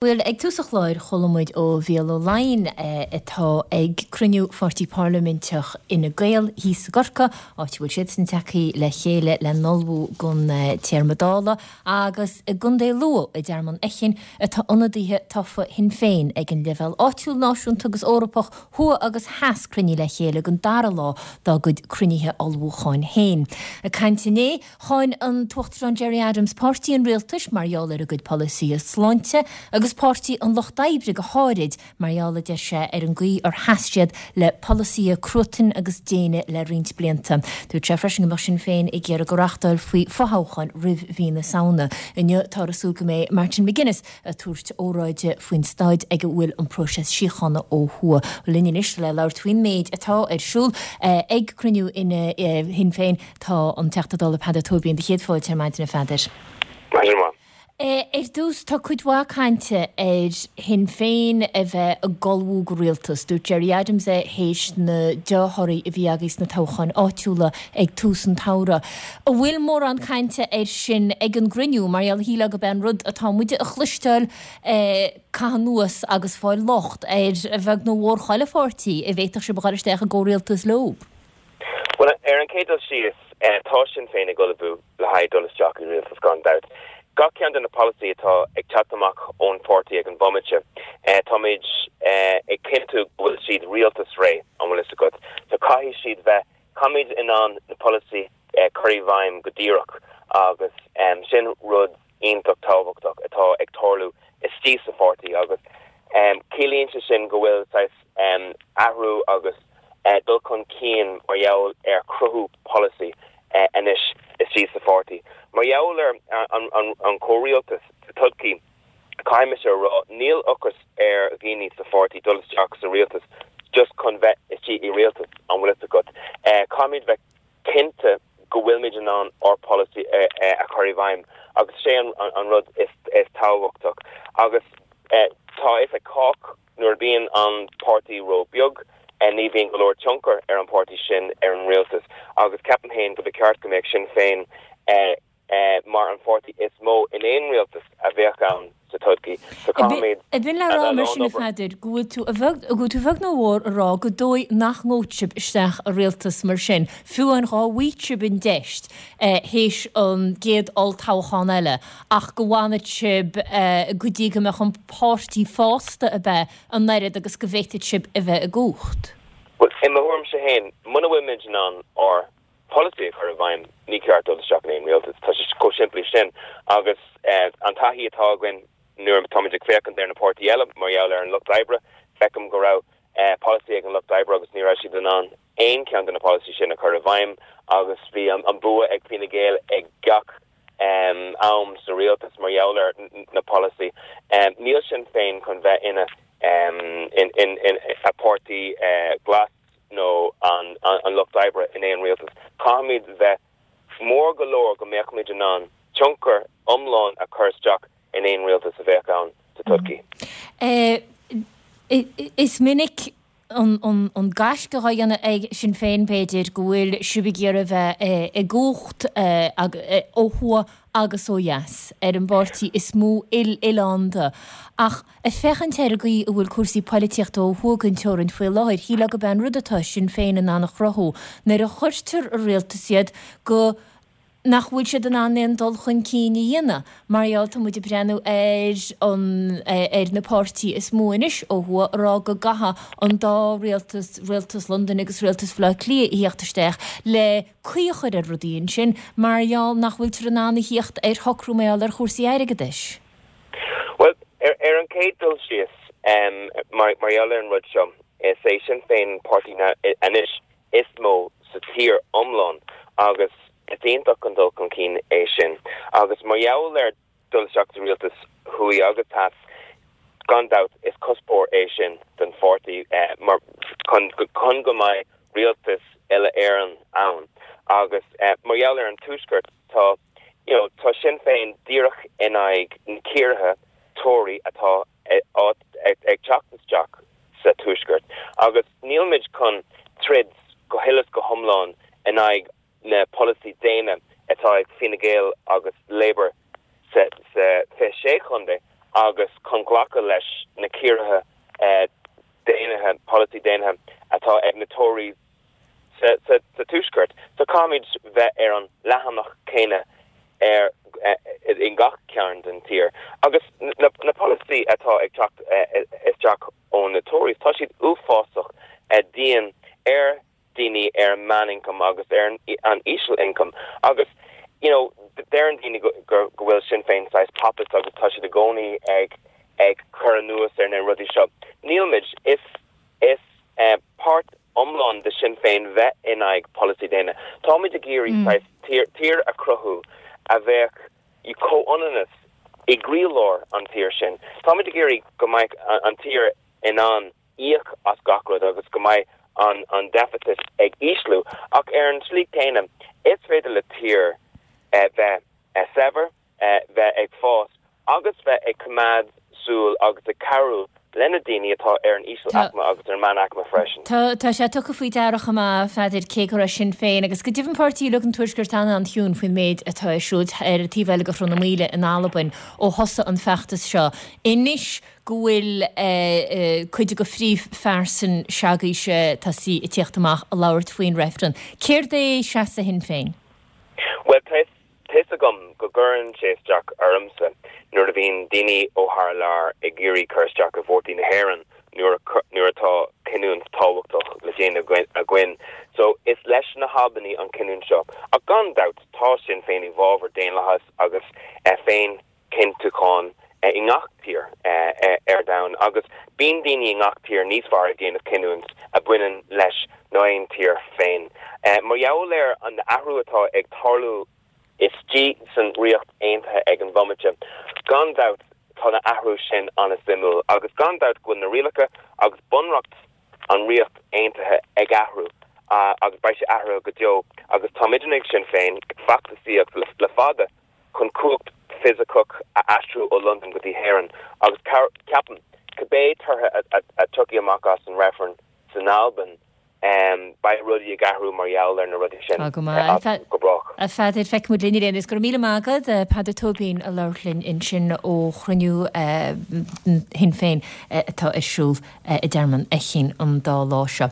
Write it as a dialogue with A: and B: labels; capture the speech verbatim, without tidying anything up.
A: Bhuel, ag tús an chláir chuala muid ó Mhícheál Ó Laighin atá ag cruinniú pháirtí parlaiminteach Fhine Gael thíos i gCorcaigh, áit a bhfuil siadsan tagtha le chéile le n-ullmhú don téarma Dála, agus i gContae Lú i dTearmann Fheichín atá ionadaithe tofa Shinn Féin ag an leibhéal áitiúil, náisiúnta agus Eorpach, thuaidh agus theas cruinnithe le chéile don dara lá dá gcuid cruinnithe ullmhúcháin féin. Ag caint inné, cháin an tUachtarán Gerry Adams páirtí an rialtais mar gheall ar a gcuid polasaithe sláinte agus páirtí an Lucht Oibre go háirid mar gheall, a deir sé, ar an gcaoi ar sheas siad le polasaithe cruatain agus déine le roinnt blianta. Dúirt sé freisin go mbeadh Sinn Féin ag iarraidh go reáchtálfaí fothoghchán roimh mhí na Samhna. Inniu táthar ag súil go mbeidh Martin McGuinness ag tabhairt óráide faoin staid ag a bhfuil an próiseas síochána ó thuaidh. Linn anois le labhairt faoin méid atá ar siúl ag cruinniú Shinn Féin tá an Teachta Dála Peadar Tóibín. Do chéad fáilte ar maidin, a Pheadair.
B: Maidin mhaith.
A: Ar dtús, tá cuid mhaith cainte ar Shinn Féin a bheith ag ullmhú do rialtas. Dúirt Gerry Adams é théis na dea-thorthaí a bhí agaibh sna toghcháin áitiúla ag tús an tsamhraidh. An bhfuil mórán cainte air sin ag an gcruinniú? Mar gheall, shílfeá gurb é an rud atá muide a chloisteáil caitheamh anuas agus fáil locht ar a bheag nó a mhór chuile pháirtí a bhféadfadh sibh a dhul isteach i gcomhrialtas leo.
B: Bhuel, ar an chéad dul síos, tá Sinn Féin ag ullmhú le haghaidh dul isteach i rialtas gan dabht. Gach ceann de na polasaí atá ag teacht amach ón pháirtí ag an bhomaite, táimid ag cinntiú go bhfuil siad rialtas réidh, an bhfuil fhios agat. So caithfidh siad bheith, caithfimid in ann na polasaí cur i bhfeidhm go díreach agus sin rud iontach tábhachtach atá ag tarlú istigh sa pháirtí agus ciallaíonn sé sin go bhfuil saghas athrú agus dul chun cinn mar gheall ar chruthú polasaí anois istigh sa pháirtí. Mar gheall ar an chomhrialtas sa todhchaí, caithfidh mise a rá, níl ocras ar dhaoine sa pháirtí dul isteach sa rialtas just chun bheith istigh i rialtas, an bhfuil fhios agat. Caithfimid bheith cinnte go bhfuilmid in ann ár polasaí a chur i bhfeidhm agus sé an rud is tábhachtach. Agus tá fhios ag cách, nuair a bhíonn an páirtí ró-bheag, ní bhíonn go leor tionchar ar an páirtí sin ar an rialtas agus ceapaim féin go ba cheart go mbeadh Sinn Féin mar an pháirtí is mó in aon rialtas a bheadh ann sa todhchaí. So caithfimid
A: Ab in le rá mar sin, a Pheadair, go bhfuil tú, a bheag, go bhfuil tú a bheag nó a mhór a rá gur dóigh nach ngabhfadh sibh isteach i rialtas mar sin, fiú amháin dhá bhfaigheadh sibh an deis théis an gcéad olltoghchán eile, ach go bhfanfadh sibh go dtí go mbeadh an páirtí fásta ab ea an oiread agus go bhféadfadh sibh a bheith i gcumhacht?
B: Bhuel, i mo thuairimse féin, muna bhfuil muid in ann ár bpolasaí a chur i bhfeidhm, ní ceart dul isteach in aon rialtas. Tá sé chomh simplí sin. Agus an taithí atá againn nuair atáimid ag féachaint ar na páirtí eile, mar gheall ar an Lucht Oibre, feicim go raibh polasaí ag an Lucht Oibre agus ní raibh siad in ann aon cheann de na polasaí sin a chur i bhfeidhm agus bhí an bua ag Fine Gael ag gach am sa rialtas mar gheall ar na polasaí. Níl Sinn Féin chun bheith ina ina páirtí glas nó an an Lucht Oibre in aon rialtas. Caithfimid bheith mór go leor go mbeadh in ann tionchar iomlán a chur isteach in aon rialtas a bheadh ann sa todhchaí.
A: Is minic an gaisce á dhéanamh ag Sinn Féin, b'fhéidir, go bhfuil sibh ag iarraidh a bheith i gcumhacht ó thuaidh agus ó dheas, ar an bpáirtí is mó uile-oileánda. Ach ag féachaint ar an gcaoi a bhfuil cúrsaí poilitíochta ó thuaidh den teorainn faoi láthair, shílfeá gurb é an rud atá Sinn Féin in ann a chruthú nuair a chuirtear i rialtas iad go nach bhfuil siad in ann aon dul chun cinn a dhéanamh mar gheall, tá muid ag breathnú ar an ar na páirtí is mó anois ó thuaidh ag rá go gcaithfidh an dá rialtas, rialtas Londain agus rialtas Bhaile Átha Cliath, a thíocht isteach le caoi a chur ar rudaí ansin mar gheall nach bhfuiltear in ann a thíocht ar shocrú mar gheall ar chúrsaí airgeadais.
B: Bhuel, ar ar an chéad dul síos, mar mar gheall ar an rud seo, is é Sinn Féin an páirtí anois is mó sa tír iomlán agus is iontach an dul chun cinn é sin. Agus mar gheall ar dul isteach sa rialtas thuaidh agus theas, gan dabht is cuspóir é sin don pháirtí mar chun chun go mbeidh rialtas uile-Éireann ann. Agus mar gheall ar an Tuaisceart, tá you know, tá Sinn Féin díreach in aghaidh na ciorruithe Tory atá ag teacht isteach sa Tuaisceart agus níl muid chun troid go huile is go hiomlán in aghaidh na polasaí déine atá ag Fine Gael agus Labour sa sa fiche sé chontae agus chun glacadh leis na ciorruithe déanaithe polasaí déanaithe atá ag na Tories sa, sa, sa tuaisceart. So caithfimid bheith ar an leathanach céanna ar in gach cearn den tír. Agus na, na polasaí atá ag teacht isteach ó na Tories, tá siad uafásach dian ar daoine ar meán-ioncam agus ar an, an íseal-ioncam. Agus you know, deireann daoine go, go, go bhfuil Sinn Féin saghas populist agus tá siad i gcónaí ag ag cur anuas ar na rudaí seo. Nílmid is is uh, páirt iomlán de Sinn Féin bheith in aghaidh polasaí déine. Táimid ag iarraidh mm. tír, tír a chruthú a bheadh i comhionannas i gcroílár an tír sin. Táimid ag iarraidh go mbeidh an tír in ann íoc as gach rud agus go mbeidh an an deficit ag ísliú ach ar an slí céanna is féidir le tír eh, bheith eh, saibhir eh, bheith ag fás agus bheith ag coimeád súil agus ag cabhrú lena daoine atá ar an íseal-aicme agus ar meánaicme freisin.
A: Tá tá sé tugtha faoi deara chomh maith a Pheadair cé go raibh Sinn Féin agus go deimhin páirtí uilig an Tuaiscirt an-an-chiúin faoin méid atá ar siúl ar an taobh eile de Sruth na Maoile in Albain ó thosaigh an feachtas seo. Anois go bhfuil eh, eh, cuid de phríomhphearsain s'agaibhse tosaithe ag tíocht amach ag labhairt faoin reifreann. Céard é seasamh Shinn Féin?
B: Well tá fhios agam go gcuireann sé isteach ormsa nuair a bhíonn daoine ó thar lear ag iarraidh cur isteach i vótaí na hÉireann nuair nuair atá cinniúint tábhachtach le déanamh againn. So is leis na hAlbanaigh an cinniúint seo. Ach gan dabht tá Sinn Féin i bhfabhar daonlathas agus eh, féinchinntiúchán eh, i ngach tír eh, ar domhan agus bíonn daoine i ngach tír níos fearr ag déanamh cinniúint a bhaineann leis ná aon tír féin. Mar gheall ar an athrú atá ag tarlú istigh san Ríocht Aontaithe ag an bhomaite. Gan dabht tá na athrú sin an-suimiúil agus gan dabht go bhfuil na rialacha agus bunreacht an Ríocht Aontaithe ag athrú uh, agus beidh sé athrú go deo agus tá ag Sinn Féin ag feachtasaíocht le, le fada chun cumhacht fisiceach a aistriú ó London go dtí hÉirinn agus ceapaim cibé torthaí a thiocfaidh amach as an reifreann san Albain um, beidh rudaí ag athrú mar gheall ar na rudaí sin
A: go
B: go brách.
A: A Pheadair feicfimid linn ar is go míle maith agat Peadar Tóibín a labhair linn ansin ó chruinniú Shinn Féin atá ar siúl i dTearmann Fheichín an dá lá seo.